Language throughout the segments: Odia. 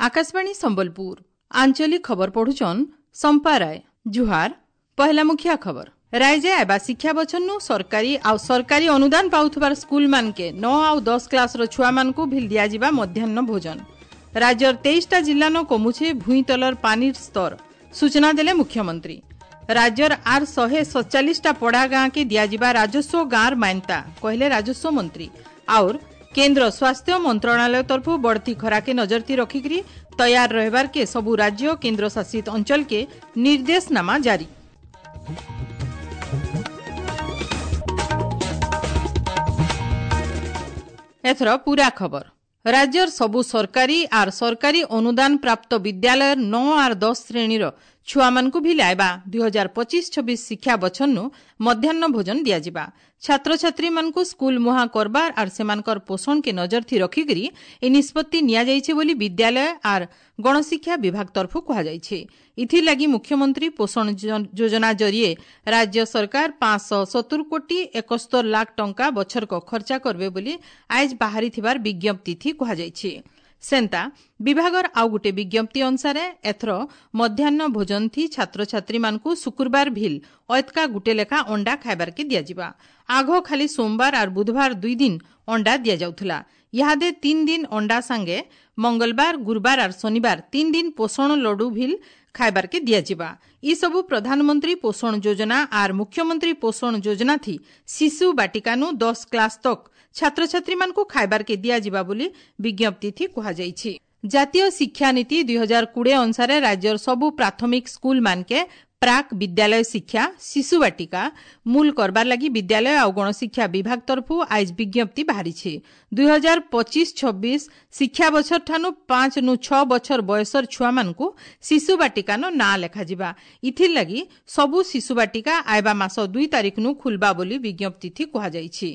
ଆକାଶବାଣୀ ସମ୍ବଲପୁର ଆଞ୍ଚଳିକ ଖବର ପଢୁଛନ୍ ସମ୍ପା ରାୟ। ଜୁହାର। ପହଲା ମୁଖିଆ ଖବର। ରାଇଜେ ଆଇବା ଶିକ୍ଷା ବଛନୁ ସରକାରୀ ଆଉ ସରକାରୀ ଅନୁଦାନ ପାଉଥିବାର ସ୍କୁଲ ମାନକେ 9 ଆଉ 10 କ୍ଲାସର ଛୁଆମାନଙ୍କୁ ଭିଲ ଦିଆଯିବା ମଧ୍ୟାହ୍ନ ଭୋଜନ। ରାଜ୍ୟର 23ଟା ଜିଲ୍ଲାନ କମୁଛେ ଭୂଇଁତଲର ପାନିର ସ୍ତର, ସୂଚନା ଦେଲେ ମୁଖ୍ୟମନ୍ତ୍ରୀ। ରାଜ୍ୟର ଆର୍ 147ଟା ପଡ଼ା ଗାଁକେ ଦିଆଯିବା ରାଜସ୍ୱ ଗାଁର ମାନ୍ୟତା, କହିଲେ ରାଜସ୍ୱ ମନ୍ତ୍ରୀ। ଆଉର୍ କେନ୍ଦ୍ର ସ୍ୱାସ୍ଥ୍ୟ ମନ୍ତ୍ରଣାଳୟ ତରଫୁ ବଢ଼ତି ଖରାକେ ନଜରତି ରଖିକରି ତୟାର ରହିବାରକେ ସବୁ ରାଜ୍ୟ କେନ୍ଦ୍ରଶାସିତ ଅଞ୍ଚଳକେ ନିର୍ଦ୍ଦେଶନାମା ଜାରି। ଏଥର ପୁରା ଖବର। ରାଜ୍ୟର ସବୁ ସରକାରୀ ଆର୍ ସରକାରୀ ଅନୁଦାନ ପ୍ରାପ୍ତ ବିଦ୍ୟାଳୟର 9 ଆର୍ 10 ଶ୍ରେଣୀର ଛୁଆମାନଙ୍କୁ ଭି ଲାଇବା 2025-26 ଶିକ୍ଷା ବଛନୁ ମଧ୍ୟାହ୍ନ ଭୋଜନ ଦିଆଯିବା। ଛାତ୍ରଛାତ୍ରୀମାନଙ୍କୁ ସ୍କୁଲ ମୁହାଁ କରବାର ଆର୍ ସେମାନଙ୍କର ପୋଷଣକେ ନଜରଥି ରଖିକରି ଏ ନିଷ୍ପତ୍ତି ନିଆଯାଇଛି ବୋଲି ବିଦ୍ୟାଳୟ ଆର୍ ଗଣଶିକ୍ଷା ବିଭାଗ ତରଫୁ କୁହାଯାଇଛି। ଏଥିଲାଗି ମୁଖ୍ୟମନ୍ତ୍ରୀ ପୋଷଣ ଯୋଜନା ଜରିଏ ରାଜ୍ୟ ସରକାର 570 କୋଟି 71 ଲାଖ ଟଙ୍କା ବଛରକ ଖର୍ଚ୍ଚା କରବେ ବୋଲି ଆଇଜ ବାହାରିଥିବାର ବିଜ୍ଞପ୍ତି କୁହାଯାଇଛି। ସେନ୍ତା ବିଭାଗର ଆଉ ଗୋଟେ ବିଜ୍ଞପ୍ତି ଅନୁସାରେ ଏଥର ମଧ୍ୟାହ୍ନ ଭୋଜନ ଥି ଛାତ୍ରଛାତ୍ରୀମାନଙ୍କୁ ଶୁକ୍ରବାର ଭିଲ ଅଏତକା ଗୁଟେ ଲେଖା ଅଣ୍ଡା ଖାଇବାରକେ ଦିଆଯିବା। ଆଘ ଖାଲି ସୋମବାର ଆର୍ ବୁଧବାର 2 ଦିନ ଅଣ୍ଡା ଦିଆଯାଉଥିଲା। ଇହାଦେ 3 ଦିନ ଅଣ୍ଡା ସାଙ୍ଗେ ମଙ୍ଗଳବାର, ଗୁରୁବାର ଆର୍ ଶନିବାର 3 ଦିନ ପୋଷଣ ଲଡୁ ଭିଲ ଖାଇବାରକେ ଦିଆଯିବା। ଏସବୁ ପ୍ରଧାନମନ୍ତ୍ରୀ ପୋଷଣ ଯୋଜନା ଆର୍ ମୁଖ୍ୟମନ୍ତ୍ରୀ ପୋଷଣ ଯୋଜନା ଥି ଶିଶୁ ବାଟିକାନୁ 10 କ୍ଲାସ ତକ ଛାତ୍ରଛାତ୍ରୀମାନଙ୍କୁ ଖାଇବାରକେ ଦିଆଯିବା ବୋଲି ବିଜ୍ଞପ୍ତି ଥି କୁହାଯାଇଛି। ଜାତୀୟ ଶିକ୍ଷାନୀତି 2020 ଅନୁସାରେ ରାଜ୍ୟର ସବୁ ପ୍ରାଥମିକ ସ୍କୁଲ ମାନକେ ପ୍ରାକ୍ ବିଦ୍ୟାଳୟ ଶିକ୍ଷା ଶିଶୁ ବାଟିକା ମୂଲ କରବାର ଲାଗି ବିଦ୍ୟାଳୟ ଆଉ ଗଣଶିକ୍ଷା ବିଭାଗ ତରଫୁ ଆଇଜ ବିଜ୍ଞପ୍ତି ବାହାରିଛି। 2025-26 ଶିକ୍ଷା ବଛର ଠାନୁ 5 ନୁ 6 ବଛର ବୟସର ଛୁଆମାନଙ୍କୁ ଶିଶୁ ବାଟିକାନ ନାଁ ଲେଖାଯିବା। ଇଥିର୍ ଲାଗି ସବୁ ଶିଶୁ ବାଟିକା ଆଇବା ମାସ 2 ତାରିଖନୁ ଖୁଲବା ବୋଲି ବିଜ୍ଞପ୍ତି ଥି କୁହାଯାଇଛି।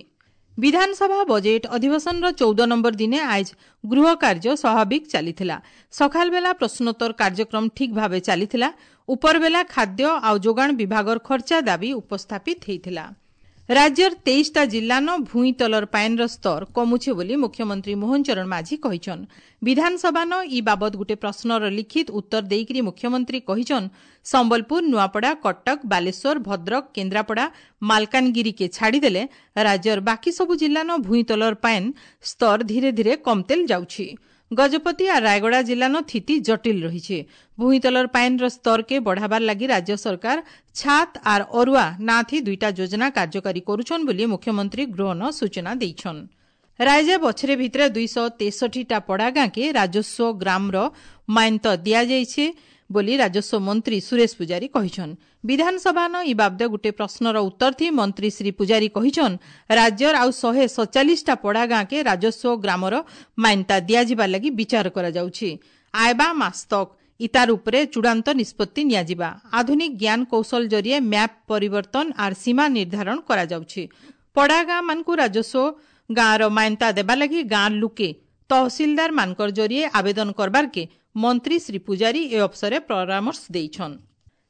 ବିଧାନସଭା ବଜେଟ୍ ଅଧିବେଶନର 14 ନମ୍ବର ଦିନେ ଆଇଜ ଗୃହ କାର୍ଯ୍ୟ ସ୍ୱାଭାବିକ ଚାଲିଥିଲା। ସକାଳ ବେଲା ପ୍ରଶ୍ନୋତ୍ତର କାର୍ଯ୍ୟକ୍ରମ ଠିକ୍ ଭାବେ ଚାଲିଥିଲା। ଉପରବେଲା ଖାଦ୍ୟ ଆଉ ଯୋଗାଣ ବିଭାଗର ଖର୍ଚ୍ଚା ଦାବି ଉପସ୍ଥାପିତ ହୋଇଥିଲା। ରାଜ୍ୟର 23ଟା ଜିଲ୍ଲାନ ଭୂଇଁତଲର ପାଏନ୍ର ସ୍ତର କମୁଛେ ବୋଲି ମୁଖ୍ୟମନ୍ତ୍ରୀ ମୋହନ ଚରଣ ମାଝୀ କହିଛନ୍। ବିଧାନସଭାନ ଇ ବାବଦ ଗୋଟେ ପ୍ରଶ୍ନର ଲିଖିତ ଉତ୍ତର ଦେଇକରି ମୁଖ୍ୟମନ୍ତ୍ରୀ କହିଛନ୍, ସମ୍ବଲପୁର, ନୂଆପଡ଼ା, କଟକ, ବାଲେଶ୍ୱର, ଭଦ୍ରକ, କେନ୍ଦ୍ରାପଡ଼ା, ମାଲକାନଗିରିକେ ଛାଡ଼ିଦେଲେ ରାଜ୍ୟର ବାକି ସବୁ ଜିଲ୍ଲାନ ଭୂଇଁତଲର ପାଏନ୍ ସ୍ତର ଧୀରେ ଧୀରେ କମତେଲ ଯାଉଛି। ଗଜପତି ଆର୍ ରାୟଗଡ଼ା ଜିଲ୍ଲାନ ସ୍ଥିତି ଜଟିଲ ରହିଛି। ଭୂଇଁତଲର ପାଏନ୍ର ସ୍ତରକେ ବଢ଼ାବାର ଲାଗି ରାଜ୍ୟ ସରକାର ଛାତ ଆର୍ ଅରୁଆ ନାଥି 2ଟା ଯୋଜନା କାର୍ଯ୍ୟକାରୀ କରୁଛନ୍ ବୋଲି ମୁଖ୍ୟମନ୍ତ୍ରୀ ଗୃହନ ସୂଚନା ଦେଇଛନ୍। ରାଇଜେ ବଛରେ ଭିତରେ 263ଟା ପଡ଼ା ଗାଁକେ ରାଜସ୍ୱ ଗ୍ରାମର ମାନ୍ୟତା ଦିଆଯାଇଛି ବୋଲି ରାଜସ୍ୱ ମନ୍ତ୍ରୀ ସୁରେଶ ପୂଜାରୀ କହିଛନ୍। ବିଧାନସଭାନ ଇ ବାବଦେ ଗୋଟେ ପ୍ରଶ୍ନର ଉତ୍ତର ଥି ମନ୍ତ୍ରୀ ଶ୍ରୀ ପୂଜାରୀ କହିଛନ୍, ରାଜ୍ୟର ଆଉ 147ଟା ପଡ଼ା ଗାଁକେ ରାଜସ୍ୱ ଗ୍ରାମର ମାନ୍ୟତା ଦିଆଯିବା ଲାଗି ବିଚାର କରାଯାଉଛି। ଆଇବା ମାସ ତକ ଇତାର ଉପରେ ଚୂଡ଼ାନ୍ତ ନିଷ୍ପତ୍ତି ନିଆଯିବା। ଆଧୁନିକ ଜ୍ଞାନ କୌଶଳ ଜରିଏ ମ୍ୟାପ୍ ପରିବର୍ତ୍ତନ ଆର୍ ସୀମା ନିର୍ଦ୍ଧାରଣ କରାଯାଉଛି। ପଡ଼ା ଗାଁମାନଙ୍କୁ ରାଜସ୍ୱ ଗାଁର ମାନ୍ୟତା ଦେବା ଲାଗି ଗାଁ ଲୁକେ ତହସିଲଦାର ମାନଙ୍କର ଜରିଏ ଆବେଦନ କରବାରକେ ମନ୍ତ୍ରୀ ଶ୍ରୀ ପୂଜାରୀ ଏ ଅବସରେ ପରାମର୍ଶ ଦେଇଛନ୍।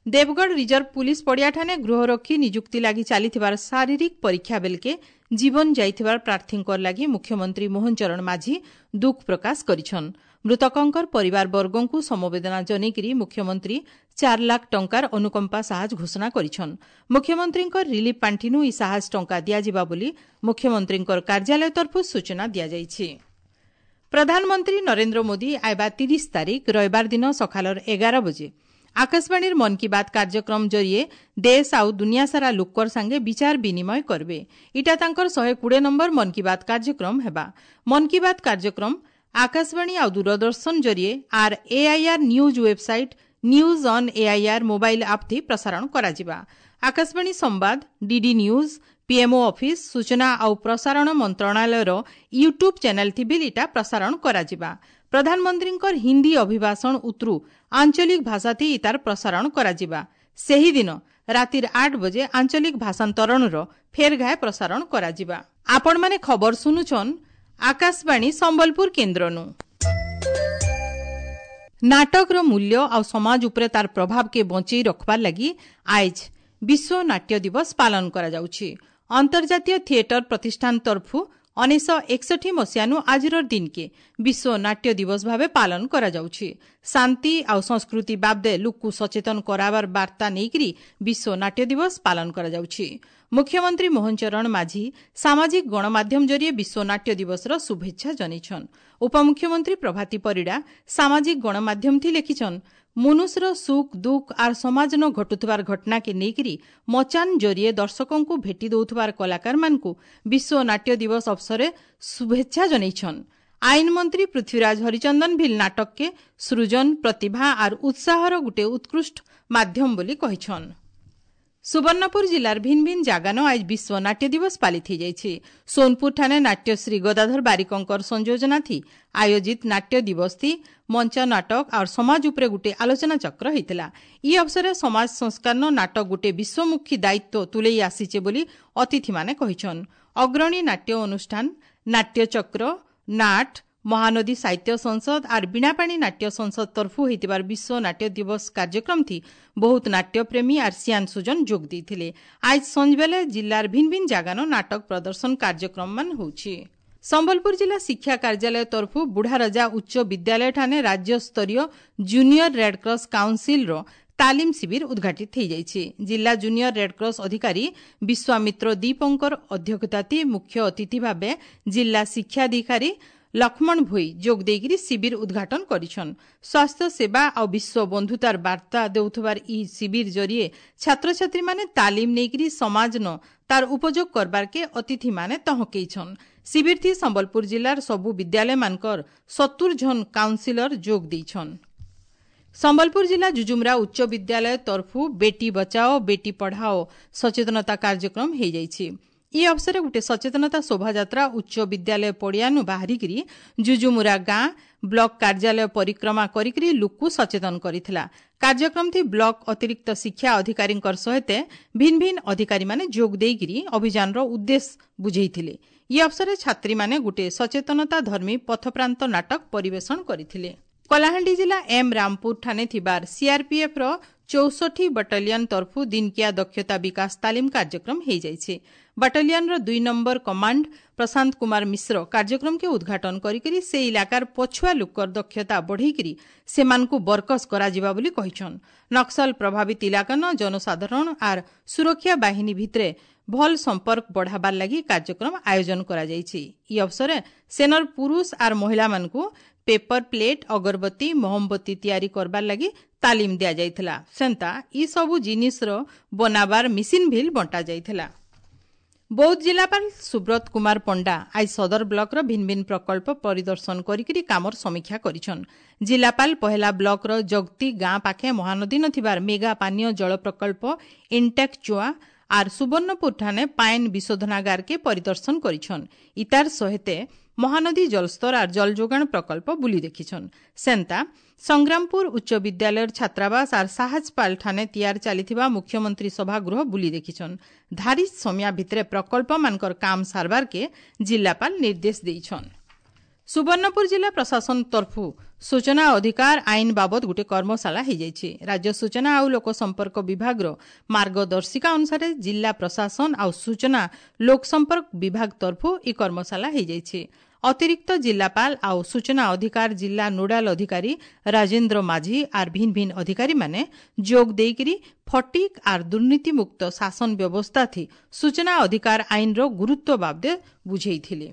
ଦେବଗଡ଼ ରିଜର୍ଭ ପୁଲିସ ପଡ଼ିଆଠାନେ ଗୃହରକ୍ଷୀ ନିଯୁକ୍ତି ଲାଗି ଚାଲିଥିବାର ଶାରୀରିକ ପରୀକ୍ଷା ବେଲକେ ଜୀବନ ଯାଇଥିବାର ପ୍ରାର୍ଥୀଙ୍କର ଲାଗି ମୁଖ୍ୟମନ୍ତ୍ରୀ ମୋହନ ଚରଣ ମାଝୀ ଦୁଃଖ ପ୍ରକାଶ କରିଛନ୍। ମୃତକଙ୍କର ପରିବାର ବର୍ଗଙ୍କୁ ସମବେଦନା ଜନେଇକରି ମୁଖ୍ୟମନ୍ତ୍ରୀ 4 ଲାଖ ଟଙ୍କାର ଅନୁକମ୍ପା ସାହାଯ୍ୟ ଘୋଷଣା କରିଛନ୍। ମୁଖ୍ୟମନ୍ତ୍ରୀଙ୍କ ରିଲିଫ୍ ପାଣ୍ଠିନୁ ଇ ସାହାଯ୍ୟ ଟଙ୍କା ଦିଆଯିବା ବୋଲି ମୁଖ୍ୟମନ୍ତ୍ରୀଙ୍କ କାର୍ଯ୍ୟାଳୟ ତରଫରୁ ସୂଚନା ଦିଆଯାଇଛି। ପ୍ରଧାନମନ୍ତ୍ରୀ ନରେନ୍ଦ୍ର ମୋଦି ଆଇବା 30 ତାରିଖ ରବିବାର ଦିନ ସକାଳର 11 ବଜେ ଆକାଶବାଣୀର ମନ୍ କି ବାତ୍ କାର୍ଯ୍ୟକ୍ରମ ଜରିଏ ଦେଶ ଆଉ ଦୁନିଆ ସାରା ଲୋକର ସାଙ୍ଗେ ବିଚାର ବିନିମୟ କରବେ। ଇଟା ତାଙ୍କର 120 ନମ୍ବର ମନ୍ କି ବାତ୍ କାର୍ଯ୍ୟକ୍ରମ ହେବା। ମନ୍ କି ବାତ୍ କାର୍ଯ୍ୟକ୍ରମ ଆକାଶବାଣୀ ଆଉ ଦୂରଦର୍ଶନ ଜରିଏ ଆର୍ AIR news website, news on AIR mobile app ଥି ପ୍ରସାରଣ କରାଯିବା। ଆକାଶବାଣୀ ସମ୍ବାଦ, ଡିଡି ନ୍ୟୁଜ୍, ପିଏମ୍ଓ ଅଫିସ୍, ସୂଚନା ଆଉ ପ୍ରସାରଣ ମନ୍ତ୍ରଣାଳୟର ୟୁଟ୍ୟୁବ୍ ଚ୍ୟାନେଲ୍ ଥି ବି ଇଟା ପ୍ରସାରଣ କରାଯିବା। ପ୍ରଧାନମନ୍ତ୍ରୀଙ୍କର ହିନ୍ଦୀ ଅଭିଭାଷଣ ଉତରୁ ଆଞ୍ଚଳିକ ଭାଷାଥି ଇତାର ପ୍ରସାରଣ କରାଯିବା। ସେହିଦିନ ରାତିର 8 ବଜେ ଆଞ୍ଚଳିକ ଭାଷାନ୍ତରଣର ଫେର ଘାଏ ପ୍ରସାରଣ କରାଯିବା। ଆପଣମାନେ ଖବର ଶୁଣୁଛନ୍ ଆକାଶବାଣୀ ସମ୍ବଲପୁର କେନ୍ଦ୍ରନୁ। ନାଟକର ମୂଲ୍ୟ ଆଉ ସମାଜ ଉପରେ ତାର ପ୍ରଭାବକେ ବଞ୍ଚେଇ ରଖବାର ଲାଗି ଆଇଜ ବିଶ୍ୱ ନାଟ୍ୟ ଦିବସ ପାଳନ କରାଯାଉଛି। ଅନ୍ତର୍ଜାତୀୟ ଥିଏଟର ପ୍ରତିଷ୍ଠାନ ତରଫୁ 1961 ମସିହାନୁ ଆଜିର ଦିନକେ ବିଶ୍ୱ ନାଟ୍ୟ ଦିବସ ଭାବେ ପାଳନ କରାଯାଉଛି। ଶାନ୍ତି ଆଉ ସଂସ୍କୃତି ବାବଦେ ଲୋକକୁ ସଚେତନ କରାବାର ବାର୍ତ୍ତା ନେଇକରି ବିଶ୍ୱ ନାଟ୍ୟ ଦିବସ ପାଳନ କରାଯାଉଛି। ମୁଖ୍ୟମନ୍ତ୍ରୀ ମୋହନ ଚରଣ ମାଝୀ ସାମାଜିକ ଗଣମାଧ୍ୟମ ଜରିଏ ବିଶ୍ୱ ନାଟ୍ୟ ଦିବସର ଶୁଭେଚ୍ଛା ଜଣାଇଛନ୍। ଉପମୁଖ୍ୟମନ୍ତ୍ରୀ ପ୍ରଭାତୀ ପରିଡ଼ା ସାମାଜିକ ଗଣମାଧ୍ୟମ ଥି ଲେଖିଛନ୍, ମନୁଷ୍ୟର ସୁଖ ଦୁଃଖ ଆର୍ ସମାଜନ ଘଟୁଥିବାର ଘଟଣାକେ ନେଇକରି ମଚାନ ଜରିଏ ଦର୍ଶକଙ୍କୁ ଭେଟି ଦେଉଥିବାର କଳାକାରମାନଙ୍କୁ ବିଶ୍ୱ ନାଟ୍ୟ ଦିବସ ଅବସରରେ ଶୁଭେଚ୍ଛା ଜଣାଇଛନ୍। ଆଇନ ମନ୍ତ୍ରୀ ପୃଥ୍ୱୀରାଜ ହରିଚନ୍ଦନ ଭିଲ୍ ନାଟକକେ ସୃଜନ, ପ୍ରତିଭା ଆର୍ ଉତ୍ସାହର ଗୋଟିଏ ଉତ୍କୃଷ୍ଟ ମାଧ୍ୟମ ବୋଲି କହିଛନ୍। ସୁବର୍ଣ୍ଣପୁର ଜିଲ୍ଲାର ଭିନ୍ ଭିନ୍ ଜାଗାନ ଆজ ବିଶ୍ୱ ନାଟ୍ୟ ଦିବସ ପାଳିତ ହୋଇଯାଇଛି। ସୋନପୁରଠାରେ ନାଟ୍ୟଶ୍ରୀ ଗଦାଧର ବାରିକଙ୍କର ସଂଯୋଜନାଥି ଆୟୋଜିତ ନାଟ୍ୟ ଦିବସ ଥି ମଞ୍ଚ ନାଟକ ଆଉ ସମାଜ ଉପରେ ଗୋଟିଏ ଆଲୋଚନା ଚକ୍ର ହୋଇଥିଲା। ଇ ଅବସରରେ ସମାଜ ସଂସ୍କାର ନାଟକ ଗୋଟିଏ ବିଶ୍ୱମୁଖୀ ଦାୟିତ୍ୱ ତୁଲେଇ ଆସିଛେ ବୋଲି ଅତିଥିମାନେ କହିଛନ୍। ଅଗ୍ରଣୀ ନାଟ୍ୟ ଅନୁଷ୍ଠାନ ନାଟ୍ୟଚକ୍ର, ନାଟ, ମହାନଦୀ ସାହିତ୍ୟ ସଂସଦ ଆର୍ ବୀଣାପାଣି ନାଟ୍ୟ ସଂସଦ ତରଫୁ ହୋଇଥିବାର ବିଶ୍ୱ ନାଟ୍ୟ ଦିବସ କାର୍ଯ୍ୟକ୍ରମ ଥି ବହୁତ ନାଟ୍ୟପ୍ରେମୀ ଆର୍ ସିଆନ ସୁଜନ ଯୋଗ ଦେଇଥିଲେ। ଆজ ସଞ୍ଜବେଲେ ଜିଲ୍ଲାର ଭିନ୍ ଭିନ୍ ଜାଗାନ ନାଟକ ପ୍ରଦର୍ଶନ କାର୍ଯ୍ୟକ୍ରମମାନ ହେଉଛି। ସମ୍ବଲପୁର ଜିଲ୍ଲା ଶିକ୍ଷା କାର୍ଯ୍ୟାଳୟ ତରଫୁ ବୁଢ଼ାରଜା ଉଚ୍ଚ ବିଦ୍ୟାଳୟଠାନେ ରାଜ୍ୟସ୍ତରୀୟ ଜୁନିୟର ରେଡ୍କ୍ରସ୍ କାଉନସିଲ୍ର ତାଲିମ ଶିବିର ଉଦ୍ଘାଟିତ ହୋଇଯାଇଛି। ଜିଲ୍ଲା ଜୁନିୟର ରେଡ୍କ୍ରସ୍ ଅଧିକାରୀ ବିଶ୍ୱାମିତ୍ର ଦୀପଙ୍କର ଅଧ୍ୟକ୍ଷତାଥି ମୁଖ୍ୟ ଅତିଥି ଭାବେ ଜିଲ୍ଲା ଶିକ୍ଷାଧିକାରୀ ଲକ୍ଷ୍ମଣ ଭୋଇ ଯୋଗ ଦେଇକରି ଶିବିର ଉଦ୍ଘାଟନ କରିଛନ୍। ସ୍ୱାସ୍ଥ୍ୟ ସେବା ଆଉ ବିଶ୍ୱ ବନ୍ଧୁତାର ବାର୍ତ୍ତା ଦେଉଥିବାର ଇ ଶିବିର ଜରିଏ ଛାତ୍ରଛାତ୍ରୀମାନେ ତାଲିମ ନେଇକରି ସମାଜନ ତାର ଉପଯୋଗ କରବାରକେ ଅତିଥିମାନେ ତହକେଇଛନ୍। ଶିବିରଥି ସମ୍ବଲପୁର ଜିଲ୍ଲାର ସବୁ ବିଦ୍ୟାଳୟମାନଙ୍କର 70 ଜଣ କାଉନସିଲର ଯୋଗ ଦେଇଛନ୍। ସମ୍ବଲପୁର ଜିଲ୍ଲା ଜୁଜୁମରା ଉଚ୍ଚ ବିଦ୍ୟାଳୟ ତରଫୁ ବେଟି ବଚାଓ ବେଟି ପଢ଼ାଓ ସଚେତନତା କାର୍ଯ୍ୟକ୍ରମ ହୋଇଯାଇଛି। ଇ ଅବସରରେ ଗୋଟିଏ ସଚେତନତା ଶୋଭାଯାତ୍ରା ଉଚ୍ଚ ବିଦ୍ୟାଳୟ ପଡ଼ିଆନୁ ବାହାରିକିରି ଜୁଜୁମୁରା ଗାଁ ବ୍ଲକ କାର୍ଯ୍ୟାଳୟ ପରିକ୍ରମା କରିକିରି ଲୋକକୁ ସଚେତନ କରିଥିଲା। କାର୍ଯ୍ୟକ୍ରମଥି ବ୍ଲକ ଅତିରିକ୍ତ ଶିକ୍ଷା ଅଧିକାରୀଙ୍କର ସହିତ ଭିନ୍ ଭିନ୍ ଅଧିକାରୀମାନେ ଯୋଗ ଦେଇକିରି ଅଭିଯାନର ଉଦ୍ଦେଶ୍ୟ ବୁଝେଇଥିଲେ। ଇ ଅବସରରେ ଛାତ୍ରୀମାନେ ଗୋଟିଏ ସଚେତନତା ଧର୍ମୀ ପଥପ୍ରାନ୍ତ ନାଟକ ପରିବେଷଣ କରିଥିଲେ। କଳାହାଣ୍ଡି ଜିଲ୍ଲା ଏମ୍ ରାମପୁର ଠାନେ ଥିବାର ସିଆର୍ପିଏଫ୍ର 64 ବଟାଲିୟନ ତରଫୁ ଦିନକିଆ ଦକ୍ଷତା ବିକାଶ ତାଲିମ କାର୍ଯ୍ୟକ୍ରମ ହୋଇଯାଇଛି। ବଟାଲିୟନର 2 ନମ୍ବର କମାଣ୍ଡ ପ୍ରଶାନ୍ତ କୁମାର ମିଶ୍ର କାର୍ଯ୍ୟକ୍ରମକେ ଉଦ୍ଘାଟନ କରିକରି ସେ ଇଲାକାର ପଛୁଆ ଲୋକର ଦକ୍ଷତା ବଢ଼େଇକରି ସେମାନଙ୍କୁ ବରକସ କରାଯିବା ବୋଲି କହିଛନ୍। ନକ୍ସଲ ପ୍ରଭାବିତ ଇଲାକାନ ଜନସାଧାରଣ ଆର୍ ସୁରକ୍ଷା ବାହିନୀ ଭିତରେ ଭଲ ସମ୍ପର୍କ ବଢ଼ାବାର ଲାଗି କାର୍ଯ୍ୟକ୍ରମ ଆୟୋଜନ କରାଯାଇଛି। ଇ ଅବସରରେ ସେନର ପୁରୁଷ ଆର୍ ମହିଳାମାନଙ୍କୁ ପେପର ପ୍ଲେଟ୍, ଅଗରବତୀ, ମହମବତୀ ତିଆରି କରବାର ଲାଗି ତାଲିମ ଦିଆଯାଇଥିଲା। ସେନ୍ତା ଇ ସବୁ ଜିନିଷର ବନାବାର ମେସିନ୍ ଭିଲ୍ ବଣ୍ଟା ଯାଇଥିଲା। ବୌଦ୍ଧ ଜିଲ୍ଲାପାଳ ସୁବ୍ରତ କୁମାର ପଣ୍ଡା ଆজ ସଦର ବ୍ଲକର ଭିନ୍ ଭିନ୍ ପ୍ରକଳ୍ପ ପରିଦର୍ଶନ କରିକିରି କାମର ସମୀକ୍ଷା କରିଛନ୍। ଜିଲ୍ଲାପାଳ ପହେଲା ବ୍ଲକର ଜଗତି ଗାଁ ପାଖେ ମହାନଦୀ ନଥିବାର ମେଗା ପାନୀୟ ଜଳ ପ୍ରକଳ୍ପ ଇଣ୍ଟେକ୍ ଚୁଆ ଆର୍ ସୁବର୍ଣ୍ଣପୁର ଠାନେ ପାଏନ୍ ବିଶୋଧନାଗାରକେ ପରିଦର୍ଶନ କରିଛନ୍। ଇତାର ସହିତେ ମହାନଦୀ ଜଳସ୍ତର ଆର୍ ଜଳ ଯୋଗାଣ ପ୍ରକଳ୍ପ ବୁଲି ଦେଖିଛନ୍। ସେନ୍ତା ସଂଗ୍ରାମପୁର ଉଚ୍ଚ ବିଦ୍ୟାଳୟର ଛାତ୍ରାବାସ ଆର୍ ସାହାଜପାଲ ଠାନେ ତିଆର ଚାଲିଥିବା ମୁଖ୍ୟମନ୍ତ୍ରୀ ସଭାଗୃହ ବୁଲି ଦେଖିଛନ୍। ଧାରି ସମୟା ଭିତରେ ପ୍ରକଳ୍ପମାନଙ୍କର କାମ ସାରବାରକେ ଜିଲ୍ଲାପାଳ ନିର୍ଦ୍ଦେଶ ଦେଇଛନ୍। ସୁବର୍ଣ୍ଣପୁର ଜିଲ୍ଲା ପ୍ରଶାସନ ତରଫୁ ସୂଚନା ଅଧିକାର ଆଇନ ବାବଦ ଗୋଟିଏ କର୍ମଶାଳା ହୋଇଯାଇଛି। ରାଜ୍ୟ ସୂଚନା ଆଉ ଲୋକ ସମ୍ପର୍କ ବିଭାଗର ମାର୍ଗଦର୍ଶିକା ଅନୁସାରେ ଜିଲ୍ଲା ପ୍ରଶାସନ ଆଉ ସୂଚନା ଲୋକସମ୍ପର୍କ ବିଭାଗ ତରଫୁ ଇ କର୍ମଶାଳା ହୋଇଯାଇଛି। ଅତିରିକ୍ତ ଜିଲ୍ଲାପାଳ ଆଉ ସୂଚନା ଅଧିକାର ଜିଲ୍ଲା ନୋଡାଲ ଅଧିକାରୀ ରାଜେନ୍ଦ୍ର ମାଝୀ ଆର୍ ଭିନ୍ ଭିନ୍ ଅଧିକାରୀମାନେ ଯୋଗ ଦେଇକରି ଫଟିକ୍ ଆର୍ ଦୁର୍ନୀତିମୁକ୍ତ ଶାସନ ବ୍ୟବସ୍ଥା ଥି ସୂଚନା ଅଧିକାର ଆଇନର ଗୁରୁତ୍ୱ ବାବଦେ ବୁଝେଇଥିଲେ।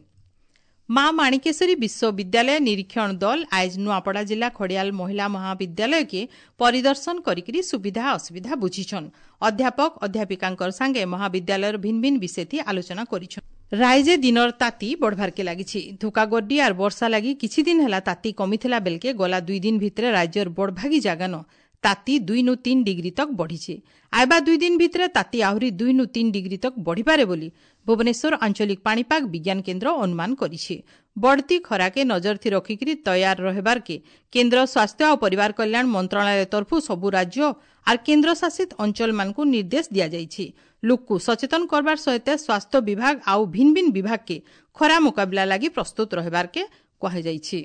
ମା ମାଣିକେଶ୍ୱରୀ ବିଶ୍ୱବିଦ୍ୟାଳୟ ନିରୀକ୍ଷଣ ଦଳ ଆଜ ନୂଆପଡ଼ା ଜିଲ୍ଲା ଖଡ଼ିଆଲ ମହିଳା ମହାବିଦ୍ୟାଳୟକେ ପରିଦର୍ଶନ କରିକିରି ସୁବିଧା ଅସୁବିଧା ବୁଝିଛନ୍। ଅଧ୍ୟାପକ ଅଧ୍ୟାପିକାଙ୍କର ସାଙ୍ଗେ ମହାବିଦ୍ୟାଳୟର ଭିନ୍ ଭିନ୍ ବିଷୟଥି ଆଲୋଚନା କରିଛନ୍। ରାଇଜେ ଦିନର ତାତି ବଢ଼ବାର୍କେ ଲାଗିଛି। ଧୋକାଗଡ୍ଡି ଆର୍ ବର୍ଷା ଲାଗି କିଛି ଦିନ ହେଲା ତାତି କମିଥିଲା ବେଲକେ ଗଲା 2 ଦିନ ଭିତରେ ରାଜ୍ୟର ବଡ଼ଭାଗୀ ଜାଗାନ ତାତି 2 3 ଡିଗ୍ରୀ ତକ ବଢ଼ିଛି। ଆଇବା 2 ଦିନ ଭିତରେ ତାତି ଆହୁରି 2 3 ଡିଗ୍ରୀ ତକ ବଢ଼ିପାରେ ବୋଲି ଭୁବନେଶ୍ୱର ଆଞ୍ଚଳିକ ପାଣିପାଗ ବିଜ୍ଞାନ କେନ୍ଦ୍ର ଅନୁମାନ କରିଛି। ବଢ଼ତି ଖରାକେ ନଜର ଥି ରଖିକିରି ତୟାର ରହିବାର୍କେ କେନ୍ଦ୍ର ସ୍ୱାସ୍ଥ୍ୟ ଆଉ ପରିବାର କଲ୍ୟାଣ ମନ୍ତ୍ରଣାଳୟ ତରଫୁ ସବୁ ରାଜ୍ୟ ଆର୍ କେନ୍ଦ୍ରଶାସିତ ଅଞ୍ଚଳମାନଙ୍କୁ ନିର୍ଦ୍ଦେଶ ଦିଆଯାଇଛି। ଲୋକକୁ ସଚେତନ କରବାର ସହିତ ସ୍ୱାସ୍ଥ୍ୟ ବିଭାଗ ଆଉ ଭିନ୍ ଭିନ୍ ବିଭାଗକେ ଖରା ମୁକାବିଲା ଲାଗି ପ୍ରସ୍ତୁତ ରହିବାର୍କେ କୁହାଯାଇଛି।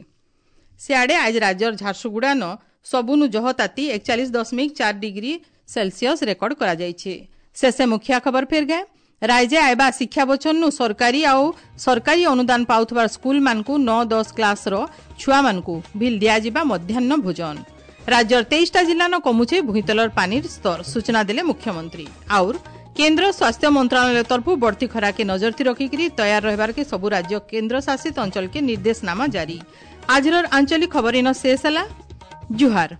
ସିଆଡ଼େ ଆଜି ରାଜ୍ୟର ଝାରସୁଗୁଡ଼ାନ ସବୁନୁ ଜହ ତାତି 41.4 ଡିଗ୍ରୀ ସେଲସିୟସ୍ ରେକର୍ଡ କରାଯାଇଛି। ଶେଷେ ମୁଖିଆ ଖବର ଫେର ଗଏ। ରାଇଜେ ଆଇବା ଶିକ୍ଷା ବଛନୁ ସରକାରୀ ଆଉ ସରକାରୀ ଅନୁଦାନ ପାଉଥିବା ସ୍କୁଲମାନଙ୍କୁ 9 10 କ୍ଲାସର ଛୁଆମାନଙ୍କୁ ଭିଲ୍ ଦିଆଯିବା ମଧ୍ୟାହ୍ନ ଭୋଜନ। ରାଜ୍ୟର 23ଟା ଜିଲ୍ଲାନ କମୁଛେ ଭୂଇଁତଲର ପାନିର ସ୍ତର, ସୂଚନା ଦେଲେ ମୁଖ୍ୟମନ୍ତ୍ରୀ। ଆଉର କେନ୍ଦ୍ର ସ୍ୱାସ୍ଥ୍ୟ ମନ୍ତ୍ରଣାଳୟ ତରଫରୁ ବଢ଼ତି ଖରାକେ ନଜର ରଖିକରି ତୟାର ରହିବାରକେ ସବୁ ରାଜ୍ୟ କେନ୍ଦ୍ର ଶାସିତ ଅଞ୍ଚଳକେ ନିର୍ଦ୍ଦେଶନାମା ଜାରି। ଆଜିର ଆଞ୍ଚଳିକ ଖବର ଇନ ଶେଷ ହେଲା। ଜୁହାର।